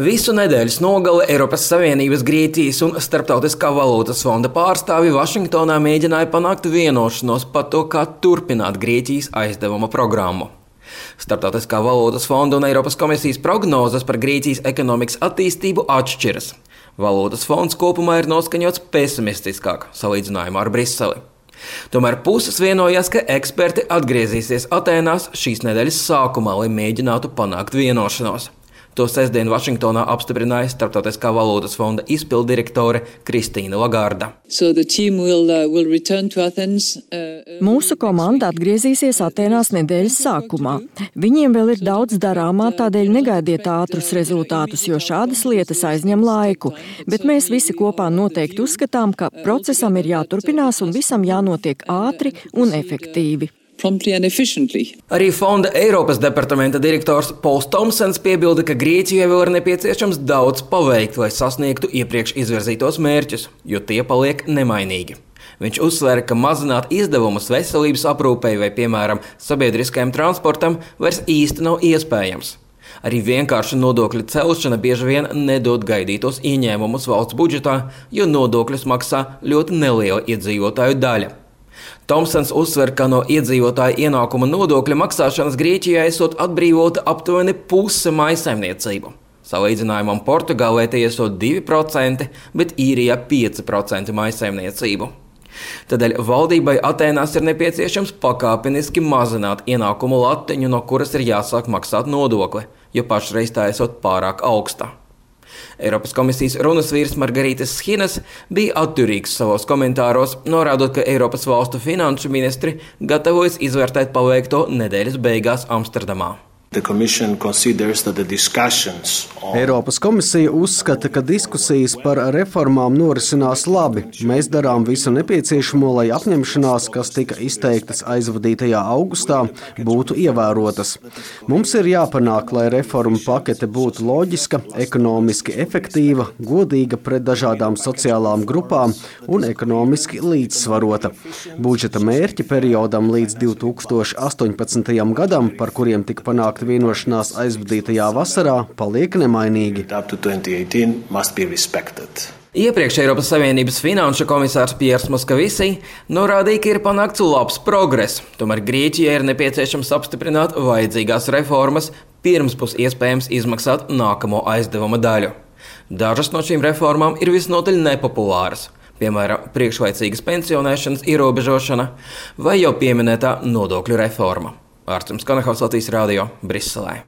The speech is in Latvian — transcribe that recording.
Visu nedēļas nogali Eiropas Savienības, Grieķijas un Starptautiskā valūtas fonda pārstāvji Vašingtonā mēģināja panākt vienošanos par to, kā turpināt Grieķijas aizdevuma programmu. Starptautiskā valūtas fonda un Eiropas komisijas prognozes par Grieķijas ekonomikas attīstību atšķiras. Valūtas fonds kopumā ir noskaņots pesimistiskāk salīdzinājumā ar Briseli. Tomēr puses vienojās, ka eksperti atgriezīsies Atēnās šīs nedēļas sākumā, lai mēģinātu panākt vienošanos. To sestdien Vašingtonā apstiprināja Starptautiskā valūtas fonda izpilddirektore Kristīna Lagarda. Mūsu komanda atgriezīsies Atēnās nedēļas sākumā. Viņiem vēl ir daudz darāmā, tādēļ negaidiet ātrus rezultātus, jo šādas lietas aizņem laiku. Bet mēs visi kopā noteikti uzskatām, ka procesam ir jāturpinās un visam jānotiek ātri un efektīvi. Arī fonda Eiropas departamenta direktors Pols Tomsens piebilda, ka Grieķijai vēl ir nepieciešams daudz paveikt, lai sasniegtu iepriekš izvirzītos mērķus, jo tie paliek nemainīgi. Viņš uzsvēra, ka mazināt izdevumus veselības aprūpei vai, piemēram, sabiedriskajam transportam vairs īsti nav iespējams. Arī vienkārša nodokļu celšana bieži vien nedod gaidītos ieņēmumus valsts budžetā, jo nodokļus maksā ļoti neliela iedzīvotāju daļa. Tomsens uzsver, ka no iedzīvotāju ienākuma nodokļa maksāšanas Grieķijai esot atbrīvota aptuveni puse mājsaimniecību. Salīdzinājumam Portugālē tie esot 2%, bet Īrijā 5% mājsaimniecību. Tādēļ valdībai Atēnās ir nepieciešams pakāpeniski mazināt ienākumu latiņu, no kuras ir jāsāk maksāt nodokli, jo pašreiz tā esot pārāk augsta. Eiropas komisijas runasvīrs Margarītas Schinas bija atturīgs savos komentāros, norādot, ka Eiropas valstu finanšu ministri gatavojas izvērtēt paveikto nedēļas beigās Amsterdamā. Eiropas komisija uzskata, ka diskusijas par reformām norisinās labi. Mēs darām visu nepieciešamo, lai apņemšanās, kas tika izteiktas aizvadītajā augustā, būtu ievērotas. Mums ir jāpanāk, lai reformu pakete būtu loģiska, ekonomiski efektīva, godīga pret dažādām sociālām grupām un ekonomiski līdzsvarota. Budžeta mērķi periodam līdz 2018. gadam, par kuriem tika panākta vienošanās aizvadītajā vasarā, paliek nemainīgi. Iepriekš Eiropas Savienības finanšu komisārs Piers Moskavisi norādīja, ka ir panākts labs progress. Tomēr Grieķijai ir nepieciešams apstiprināt vajadzīgās reformas, pirms būs iespējams izmaksāt nākamo aizdevuma daļu. Dažas no šīm reformām ir visnotaļ nepopulāras, piemēram, priekšlaicīgas pensionēšanas ierobežošana vai jau pieminētā nodokļu reforma. Ārsts Kanahaus, Latvijas radio, Briselē.